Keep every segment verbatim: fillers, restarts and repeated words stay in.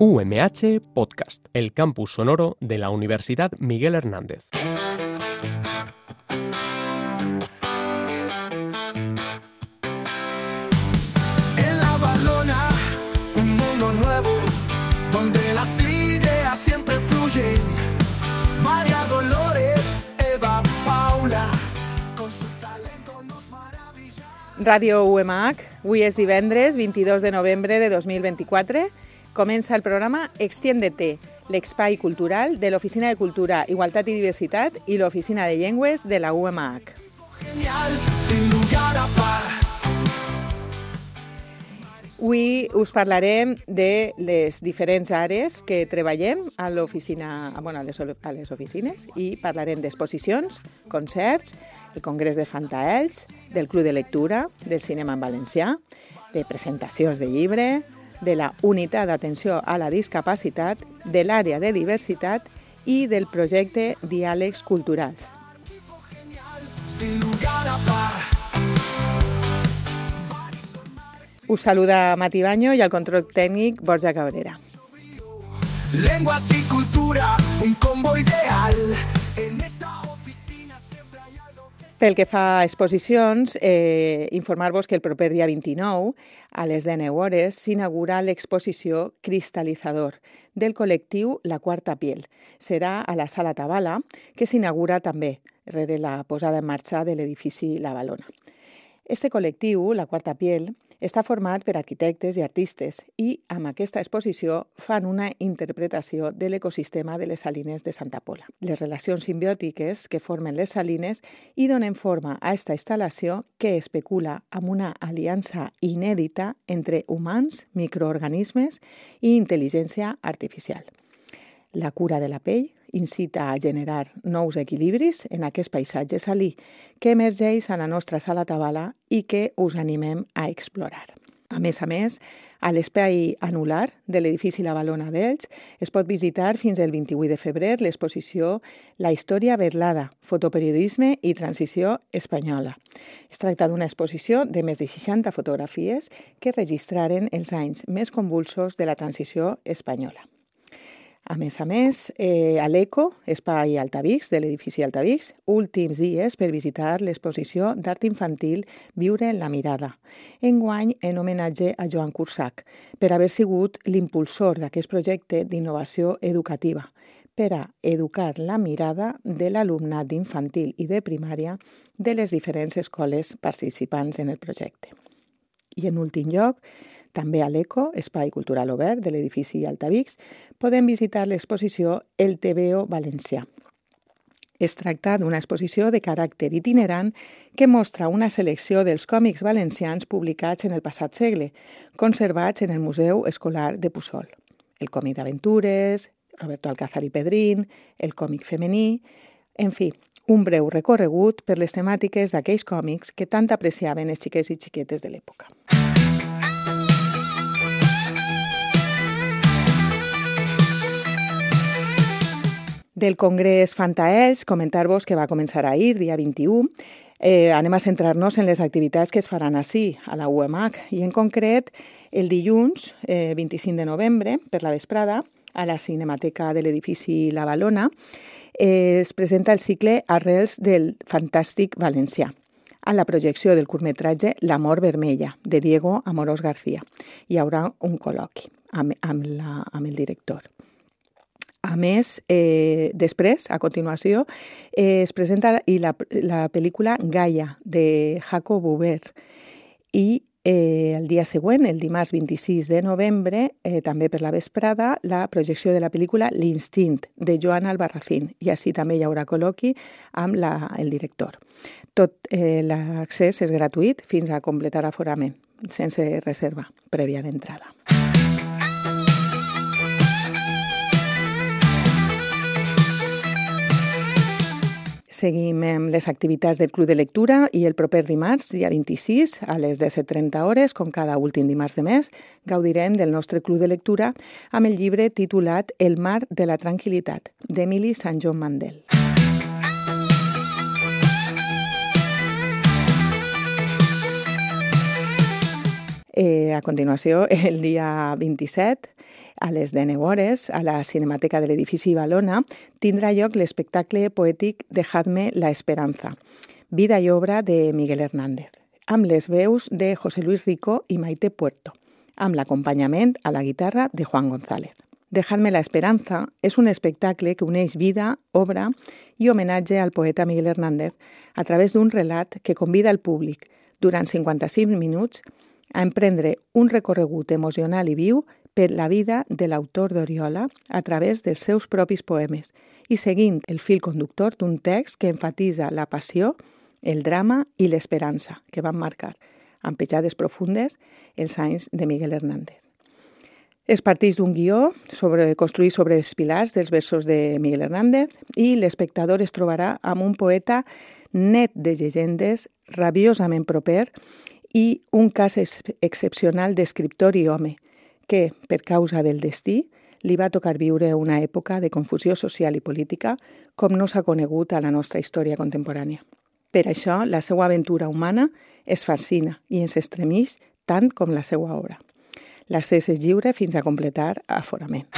U M H Podcast, el campus sonoro de la Universidad Miguel Hernández. En La Valona, un mundo nuevo, donde las ideas siempre fluyen. María Dolores, Eva, Paula, con su talento nos maravilla. Ràdio U M H, avui és divendres vint-i-dos de novembre de dos mil vint-i-quatre. Comença el programa Extiéndete, l'espai cultural de l'Oficina de Cultura, Igualtat i Diversitat i l'Oficina de Llengües de la U M H. Genial, sin lugar a par. Avui us parlarem de les diferents àrees que treballem a l'oficina, bueno, a les, a les oficines, i parlarem d'exposicions, concerts, el Congrés de Fantaells, del Club de Lectura, del cinema en valencià, de presentacions de llibre, de la unitat d'atenció a la discapacitat, de l'àrea de diversitat i del projecte Diàlegs Culturals. Sin lugar a par. Us saluda Mati Baño i al control tècnic Borja Cabrera. Lenguas y cultura, un combo ideal. En esta oficina siempre hay algo que... Pel que fa a exposicions, eh, informar-vos que el proper dia vint-i-nou, a les dinou hores, s'inaugura l'exposició Cristalitzador del col·lectiu La Quarta Piel. Serà a la Sala Tabala, que s'inaugura també rere la posada en marxa de l'edifici La Valona. Este col·lectiu, La Quarta Piel, està format per arquitectes i artistes i amb aquesta exposició fan una interpretació de l'ecosistema de les salines de Santa Pola. Les relacions simbiòtiques que formen les salines i donen forma a aquesta instal·lació que especula amb una aliança inèdita entre humans, microorganismes i intel·ligència artificial. La cura de la pell incita a generar nous equilibris en aquest paisatge salí que emergeix a la nostra sala Tabala i que us animem a explorar. A més a més, a l'espai anular de l'edifici La Valona d'Elx es pot visitar fins el vint-i-vuit de febrer l'exposició La història verlada, fotoperiodisme i transició espanyola. Es tracta d'una exposició de més de seixanta fotografies que registraren els anys més convulsos de la transició espanyola. A més a més, eh, a l'Eco, espai Altavix, de l'edifici Altavix, últims dies per visitar l'exposició d'art infantil Viure en la mirada, enguany en homenatge a Joan Cursac, per haver sigut l'impulsor d'aquest projecte d'innovació educativa, per a educar la mirada de l'alumnat d'infantil i de primària de les diferents escoles participants en el projecte. I en últim lloc, també a l'Eco, espai cultural obert de l'edifici Altavix, podem visitar l'exposició El Tebeo Valencià. Es tracta d'una exposició de caràcter itinerant que mostra una selecció dels còmics valencians publicats en el passat segle, conservats en el Museu Escolar de Puçol. El còmic d'aventures, Roberto Alcázar i Pedrín, el còmic femení, en fi, un breu recorregut per les temàtiques d'aquells còmics que tant apreciaven els xiquets i xiquetes de l'època. Del Congrés Fantaells, comentar-vos que va començar ahir, dia vint-i-u. Eh, anem a centrar-nos en les activitats que es faran ací, a la U M H, i en concret el dilluns, eh, vint-i-cinc de novembre, per la vesprada, a la Cinemateca de l'edifici La Valona, eh, es presenta el cicle Arrels del Fantàstic Valencià, a la projecció del curtmetratge L'amor vermella, de Diego Amorós García. Hi haurà un col·loqui amb, amb, la, amb el director. A més, eh, després, a continuació, eh, es presenta i la, la pel·lícula Gaia, de Jacob Huber. I eh, el dia següent, el dimarts vint-i-sis de novembre, eh, també per la vesprada, la projecció de la pel·lícula L'Instint, de Joan Albarracín. I així també hi haurà col·loqui amb la, el director. Tot eh, l'accés és gratuït fins a completar aforament, sense reserva prèvia d'entrada. Seguim amb les activitats del Club de Lectura i el proper dimarts, dia vint-i-sis, a les disset trenta hores, com cada últim dimarts de mes, gaudirem del nostre Club de Lectura amb el llibre titulat El mar de la tranquil·litat, d'Emily Saint John Mandel. Eh, a continuació, el dia vint-i-set, A les deu hores, a la Cinemateca de l'edifici Valona, tindrà lloc l'espectacle poètic Dejadme la esperanza, vida i obra de Miguel Hernández, amb les veus de José Luis Rico i Maite Puerto, amb l'acompanyament a la guitarra de Juan González. Dejadme la esperanza és un espectacle que uneix vida, obra i homenatge al poeta Miguel Hernández a través d'un relat que convida el públic, durant cinquanta-cinc minuts, a emprendre un recorregut emocional i viu per la vida de l'autor d'Oriola a través dels seus propis poemes i seguint el fil conductor d'un text que enfatitza la passió, el drama i l'esperança que van marcar, amb petjades profundes, els anys de Miguel Hernández. Es parteix d'un guió sobre, construït sobre els pilars dels versos de Miguel Hernández i l'espectador es trobarà amb un poeta net de llegendes, rabiosament proper i un cas ex excepcional d'escriptor i home que, per causa del destí, li va tocar viure una època de confusió social i política com no s'ha conegut a la nostra història contemporània. Per això, la seva aventura humana es fascina i ens estremeix tant com la seva obra. L'accés és lliure fins a completar aforament.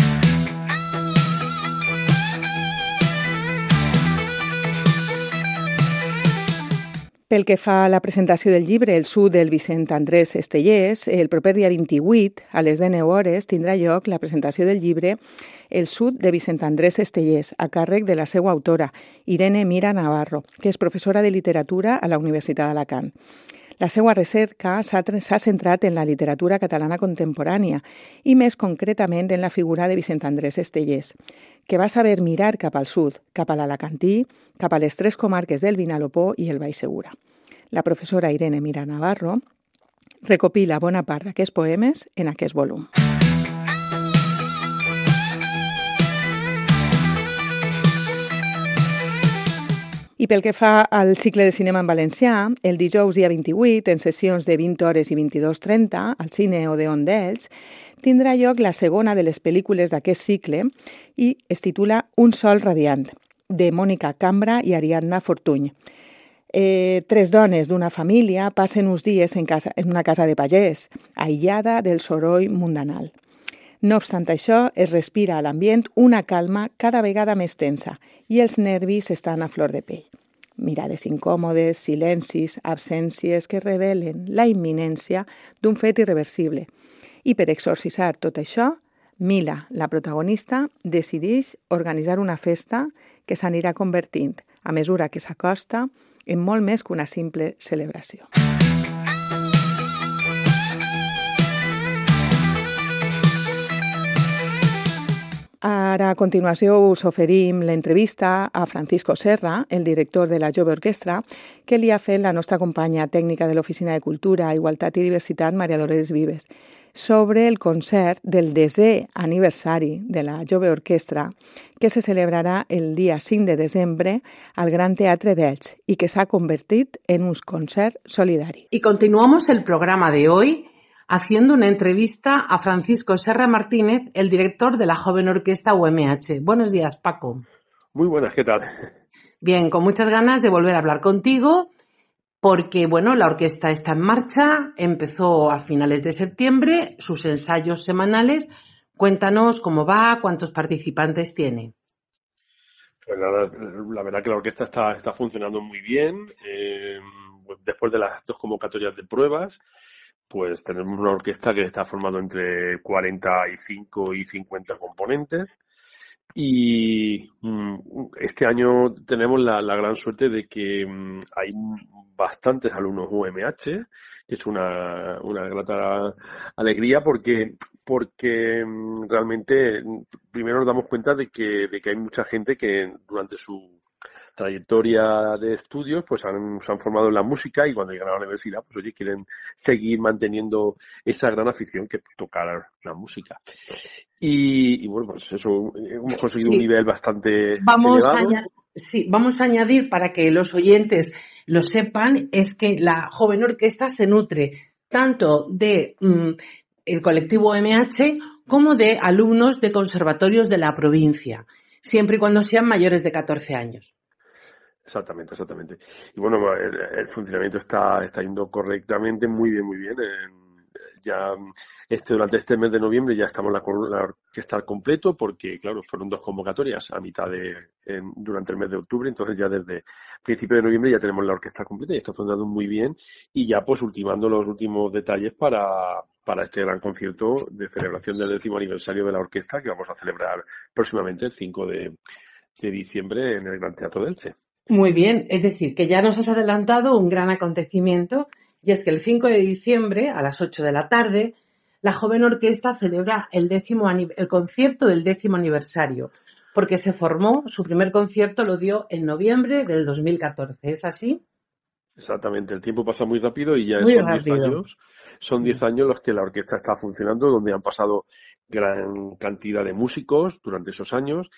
Pel que fa a la presentació del llibre El sud del Vicent Andrés Estellés, el proper dia vint-i-vuit, a les deu hores, tindrà lloc la presentació del llibre El sud de Vicent Andrés Estellés, a càrrec de la seva autora, Irene Mira Navarro, que és professora de literatura a la Universitat d'Alacant. La seva recerca s'ha centrat en la literatura catalana contemporània i més concretament en la figura de Vicent Andrés Estellés, que va saber mirar cap al sud, cap a l'Alacantí, cap a les tres comarques del Vinalopó i el Baix Segura. La professora Irene Mira Navarro recopila bona part d'aquests poemes en aquest volum. I pel que fa al cicle de cinema en valencià, el dijous dia vint-i-vuit, en sessions de vint hores i vint-i-dos trenta, al Cine Odeon d'Elx, tindrà lloc la segona de les pel·lícules d'aquest cicle i es titula Un sol radiant, de Mònica Cambra i Ariadna Fortuny. Eh, tres dones d'una família passen uns dies en, casa, en una casa de pagès, aïllada del soroll mundanal. No obstant això, es respira a l'ambient una calma cada vegada més tensa i els nervis estan a flor de pell. Mirades incòmodes, silencis, absències que revelen la imminència d'un fet irreversible. I per exorcitzar tot això, Mila, la protagonista, decideix organitzar una festa que s'anirà convertint, a mesura que s'acosta, en molt més que una simple celebració. Ara, a continuació, us oferim l'entrevista a Francisco Serra, el director de la Jove Orquestra, que li ha fet la nostra companya tècnica de l'Oficina de Cultura, Igualtat i Diversitat, Maria Dolores Vives, sobre el concert del desè aniversari de la Jove Orquestra, que se celebrarà el dia cinc de desembre al Gran Teatre d'Elx y que s'ha convertit en un concert solidari. Y continuamos el programa de hoy haciendo una entrevista a Francisco Serra Martínez, el director de la Joven Orquesta U M H. Buenos días, Paco. Muy buenas, ¿qué tal? Bien, con muchas ganas de volver a hablar contigo porque, bueno, la orquesta está en marcha, empezó a finales de septiembre, sus ensayos semanales. Cuéntanos cómo va, cuántos participantes tiene. Pues la, la verdad que la orquesta está, está funcionando muy bien. Eh, después de las dos convocatorias de pruebas, pues tenemos una orquesta que está formando entre cuarenta y cinco y cincuenta componentes. Y mm, este año tenemos la, la gran suerte de que mm, hay bastantes alumnos U M H, que es una, una grata alegría porque, porque mm, realmente primero nos damos cuenta de que, de que hay mucha gente que durante su trayectoria de estudios pues han, se han formado en la música y cuando llegan a la universidad pues oye quieren seguir manteniendo esa gran afición que es tocar la música y, y bueno pues eso hemos conseguido sí. un nivel bastante vamos elevado. A añadir, sí, vamos a añadir para que los oyentes lo sepan es que la Joven Orquesta se nutre tanto de mm, el colectivo U M H como de alumnos de conservatorios de la provincia, siempre y cuando sean mayores de catorce años. Exactamente, exactamente. Y bueno, el, el funcionamiento está, está yendo correctamente, muy bien, muy bien. Eh, ya este durante este mes de noviembre ya estamos la, la orquesta al completo, porque claro, fueron dos convocatorias a mitad de en, durante el mes de octubre, entonces ya desde principio de noviembre ya tenemos la orquesta completa y está funcionando muy bien, y ya pues ultimando los últimos detalles para para este gran concierto de celebración del décimo aniversario de la orquesta que vamos a celebrar próximamente el cinco de diciembre en el Gran Teatro de Elche. Muy bien, es decir, que ya nos has adelantado un gran acontecimiento, y es que el cinco de diciembre a las ocho de la tarde la joven orquesta celebra el décimo el concierto del décimo aniversario, porque se formó, su primer concierto lo dio en noviembre del dos mil catorce, ¿es así? Exactamente, el tiempo pasa muy rápido y ya muy son rápido. diez años, son diez años los que la orquesta está funcionando, donde han pasado gran cantidad de músicos durante esos años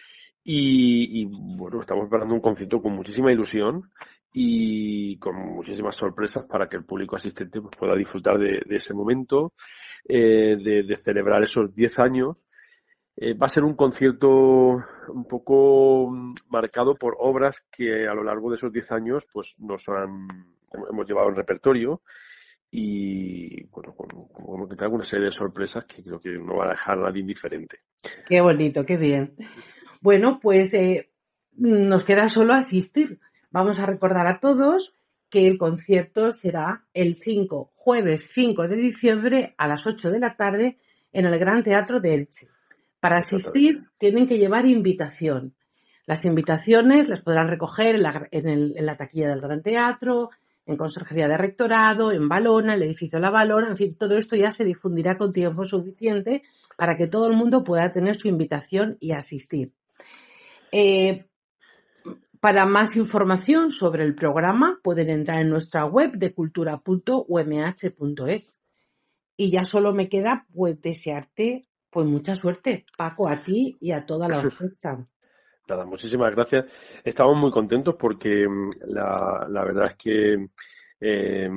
y, y bueno, estamos preparando un concierto con muchísima ilusión y con muchísimas sorpresas para que el público asistente pues, pueda disfrutar de, de ese momento, eh, de, de celebrar esos diez años. Eh, va a ser un concierto un poco marcado por obras que a lo largo de esos diez años pues nos han hemos llevado en repertorio y bueno, con, con, con alguna serie de sorpresas que creo que no va a dejar a nadie indiferente. Qué bonito, qué bien. Bueno, pues eh, nos queda solo asistir. Vamos a recordar a todos que el concierto será el cinco, jueves cinco de diciembre a las ocho de la tarde en el Gran Teatro de Elche. Para asistir tienen que llevar invitación. Las invitaciones las podrán recoger en la, en, el, en la taquilla del Gran Teatro, en Conserjería de Rectorado, en Valona, el edificio La Valona, en fin, todo esto ya se difundirá con tiempo suficiente para que todo el mundo pueda tener su invitación y asistir. Eh, para más información sobre el programa pueden entrar en nuestra web de cultura punto u m h punto es. Y ya solo me queda pues desearte pues mucha suerte, Paco, a ti y a toda la orquesta. Nada, muchísimas gracias. Estamos muy contentos porque la, la verdad es que eh,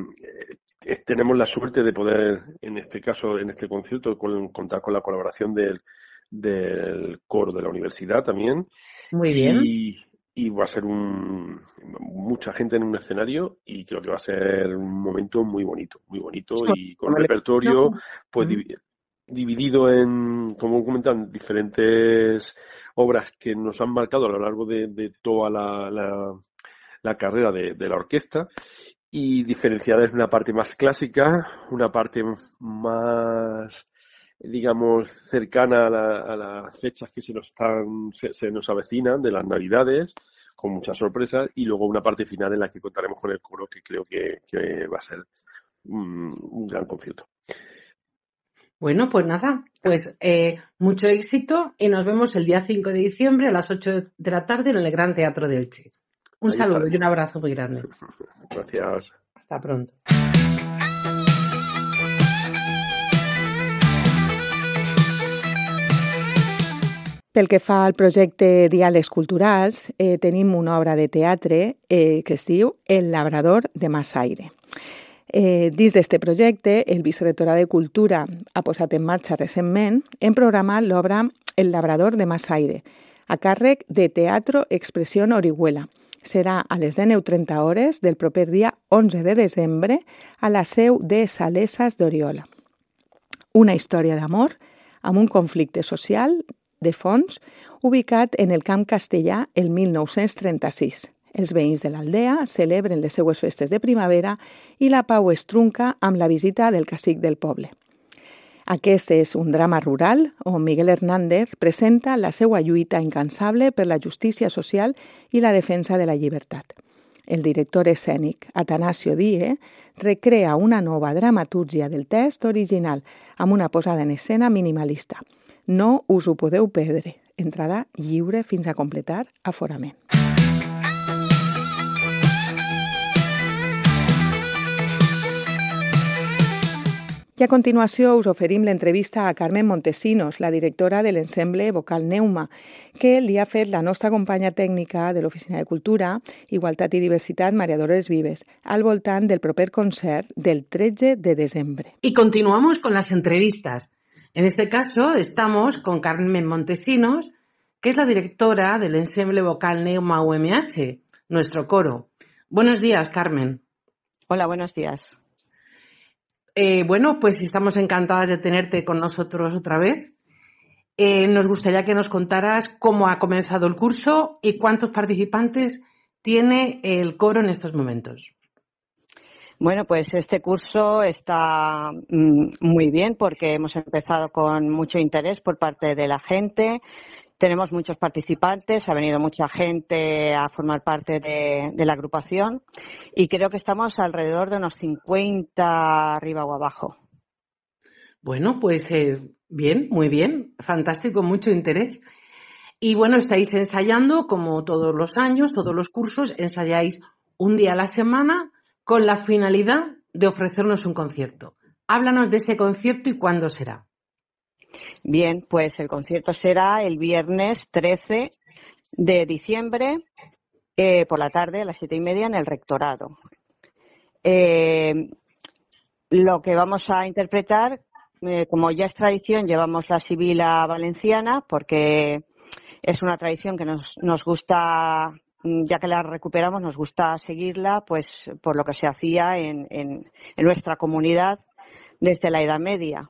tenemos la suerte de poder, en este caso, en este concierto, con, contar con la colaboración del, del coro de la universidad también. Muy bien. Y, y va a ser un, mucha gente en un escenario y creo que va a ser un momento muy bonito, muy bonito y con un repertorio pues mm. dividido en, como comentan, diferentes obras que nos han marcado a lo largo de, de toda la, la, la carrera de, de la orquesta y diferenciadas en una parte más clásica, una parte más, digamos, cercana a, la, a las fechas que se nos están, se, se nos avecinan de las Navidades, con muchas sorpresas, y luego una parte final en la que contaremos con el coro, que creo que, que va a ser un, un gran concierto. Bueno, pues nada, pues eh, mucho éxito y nos vemos el día cinco de diciembre a las ocho de la tarde en el Gran Teatro de Elche. Un Ahí saludo estaremos. Y un abrazo muy grande. Gracias. Hasta pronto. Pel que fa al projecte Diàlegs Culturals, eh, tenim una obra de teatre eh, que es diu El labrador de Massaire. Eh, dins d'aquest projecte, el Vicerrectorat de Cultura ha posat en marxa recentment hem programat l'obra El labrador de Massaire, a càrrec de Teatro Expresión Orihuela. Serà a les deu trenta hores del proper dia onze de desembre a la seu de Salesas d'Oriola. Una història d'amor amb un conflicte social de fons ubicat en el Camp Castellà el mil nou-cents trenta-sis. Els veïns de l'aldea celebren les seues festes de primavera i la pau es trunca amb la visita del cacic del poble. Aquest és un drama rural on Miguel Hernández presenta la seva lluita incansable per la justícia social i la defensa de la llibertat. El director escènic Atanasio Die recrea una nova dramatúrgia del text original amb una posada en escena minimalista. No us ho podeu perdre. Entrada lliure fins a completar aforament. I a continuació us oferim l'entrevista a Carmen Montesinos, la directora de l'ensemble vocal Neuma, que li ha fet la nostra companya tècnica de l'Oficina de Cultura, Igualtat i Diversitat, María Dolores Vives, al voltant del proper concert del tretze de desembre. Y continuamos con las entrevistas. En este caso estamos con Carmen Montesinos, que es la directora del ensemble vocal Neuma U M H, nuestro coro. Buenos días, Carmen. Hola, buenos días. Eh, bueno, pues estamos encantadas de tenerte con nosotros otra vez. Eh, nos gustaría que nos contaras cómo ha comenzado el curso y cuántos participantes tiene el coro en estos momentos. Bueno, pues este curso está mm, muy bien porque hemos empezado con mucho interés por parte de la gente. Tenemos muchos participantes, ha venido mucha gente a formar parte de, de la agrupación y creo que estamos alrededor de unos cincuenta arriba o abajo. Bueno, pues eh, bien, muy bien, fantástico, mucho interés. Y bueno, estáis ensayando como todos los años, todos los cursos, ensayáis un día a la semana con la finalidad de ofrecernos un concierto. Háblanos de ese concierto y cuándo será. Bien, pues el concierto será el viernes trece de diciembre eh, por la tarde a las siete y media en el Rectorado. Eh, lo que vamos a interpretar, eh, como ya es tradición, llevamos la Sibila Valenciana porque es una tradición que nos, nos gusta, ya que la recuperamos, nos gusta seguirla, pues por lo que se hacía en, en, en nuestra comunidad desde la Edad Media.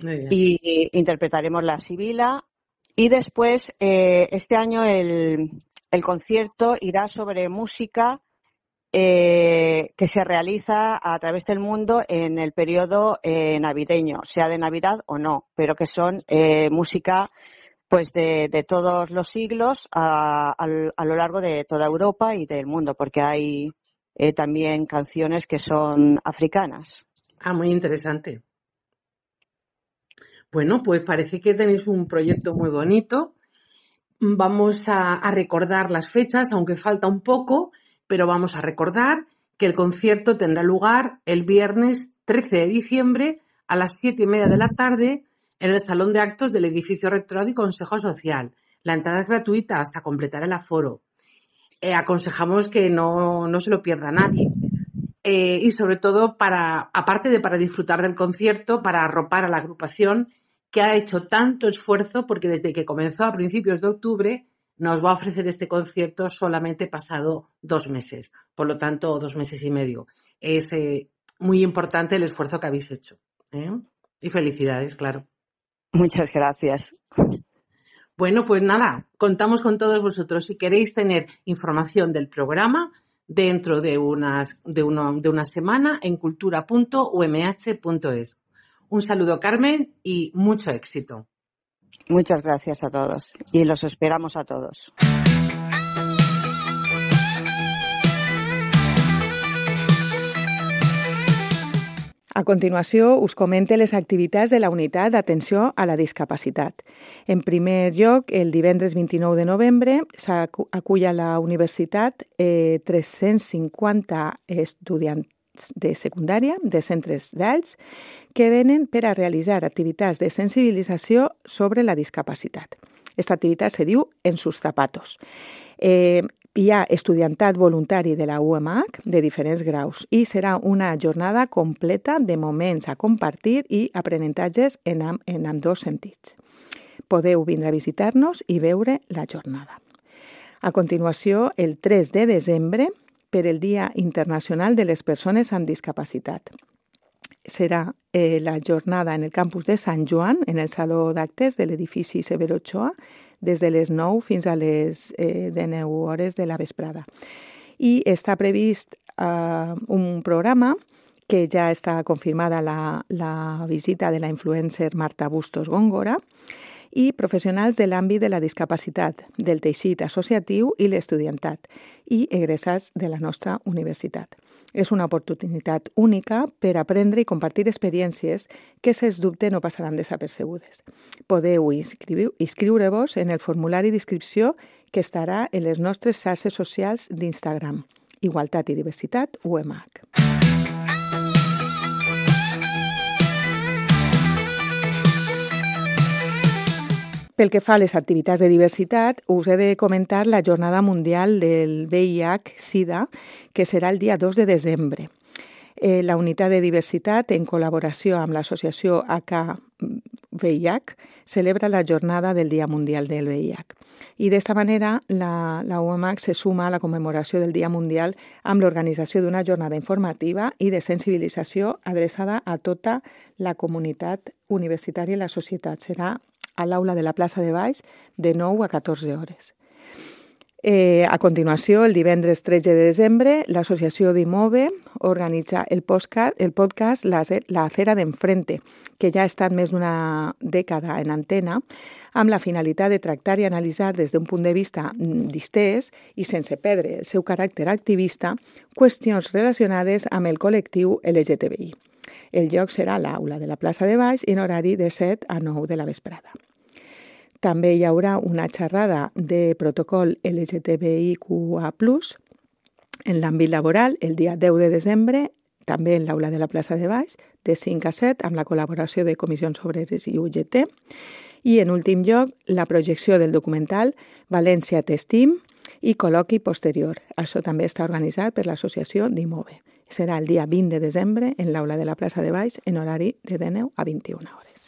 Y, y interpretaremos la Sibila y después eh, este año el, el concierto irá sobre música eh, que se realiza a través del mundo en el periodo eh, navideño, sea de Navidad o no, pero que son eh, música pues de, de todos los siglos a, a, a lo largo de toda Europa y del mundo, porque hay eh, también canciones que son africanas. Ah, muy interesante. Bueno, pues parece que tenéis un proyecto muy bonito. Vamos a, a recordar las fechas, aunque falta un poco, pero vamos a recordar que el concierto tendrá lugar el viernes trece de diciembre a las siete y media de la tarde en el Salón de Actos del Edificio Rectorado y Consejo Social. La entrada es gratuita hasta completar el aforo. Eh, aconsejamos que no, no se lo pierda nadie. Eh, y sobre todo, para, aparte de para disfrutar del concierto, para arropar a la agrupación que ha hecho tanto esfuerzo, porque desde que comenzó a principios de octubre nos va a ofrecer este concierto solamente pasado dos meses, por lo tanto dos meses y medio. Es eh, muy importante el esfuerzo que habéis hecho, ¿eh? Y felicidades, claro. Muchas gracias. Bueno, pues nada, contamos con todos vosotros. Si queréis tener información del programa dentro de, unas, de, uno, de una semana en cultura punto u m h punto es. Un saludo, Carmen, y mucho éxito. Muchas gracias a todos y los esperamos a todos. A continuació, us comente les activitats de la Unitat d'Atenció a la Discapacitat. En primer lloc, el divendres vint-i-nou de novembre s'acull a la universitat eh, tres-cents cinquanta estudiants de secundària, de centres d'alts, que venen per a realitzar activitats de sensibilització sobre la discapacitat. Esta activitat se diu En sus zapatos. Eh, Hi ha estudiantat voluntari de la U M H de diferents graus i serà una jornada completa de moments a compartir i aprenentatges en, amb, en ambdós sentits. Podeu vindre a visitar-nos i veure la jornada. A continuació, el tres de desembre, per el Dia Internacional de les Persones amb Discapacitat. Serà eh, la jornada en el campus de Sant Joan, en el Saló d'Actes de l'edifici Severo Ochoa, des de les nou fins a les eh, dinou hores de la vesprada. I està previst eh, un programa que ja està confirmada la, la visita de la influencer Marta Bustos Góngora i professionals de l'àmbit de la discapacitat, del teixit associatiu i l'estudiantat i egressats de la nostra universitat. És una oportunitat única per aprendre i compartir experiències que, sens dubte, no passaran desapercebudes. Podeu inscriure-vos en el formulari d'inscripció que estarà en les nostres xarxes socials d'Instagram. Igualtat i Diversitat U M H. Pel que fa a les activitats de diversitat, us he de comentar la Jornada Mundial del V I H SIDA, que serà el dia dos de desembre. Eh, la Unitat de Diversitat, en col·laboració amb l'associació H V I H, celebra la Jornada del Dia Mundial del V I H. I d'esta manera la, la U M A C se suma a la commemoració del Dia Mundial amb l'organització d'una jornada informativa i de sensibilització adreçada a tota la comunitat universitària i la societat. Serà a l'aula de la plaça de Baix de nou a catorze hores. Eh, a continuació, el divendres tretze de desembre, l'associació d'Imove organitza el podcast, el podcast La, la Acera d'Enfrente, que ja ha estat més d'una dècada en antena, amb la finalitat de tractar i analitzar des d'un punt de vista distès i sense perdre el seu caràcter activista qüestions relacionades amb el col·lectiu L G T B I. El lloc serà a l'aula de la plaça de Baix en horari de set a nou de la vesprada. També hi haurà una xerrada de protocol L G T B I Q A plus, en l'àmbit laboral el dia deu de desembre, també en l'aula de la plaça de Baix, de cinc a set, amb la col·laboració de Comissions Obreres i U G T. I, en últim lloc, la projecció del documental València T'estim i col·loqui posterior. Això també està organitzat per l'associació d'Imove. Serà el dia vint de desembre en l'aula de la plaça de Baix en horari de deu a vint i una hores.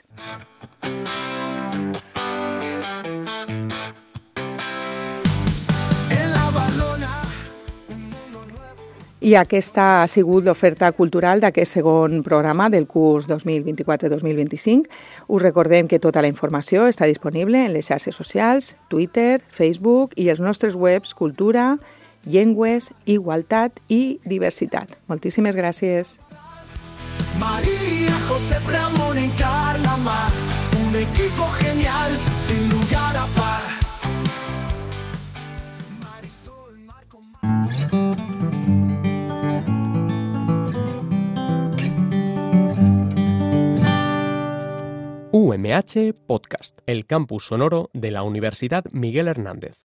I aquesta ha sigut l'oferta cultural d'aquest segon programa del curs dos mil vint-i-quatre dos mil vint-i-cinc. Us recordem que tota la informació està disponible en les xarxes socials, Twitter, Facebook i els nostres webs Cultura, Llengües, Igualtat i Diversitat. Moltíssimes gràcies. María José Ramón en Carlamar, un equipo genial, sin lugar a par. Marisol, Marco, U M H Podcast, el campus sonoro de la Universidad Miguel Hernández.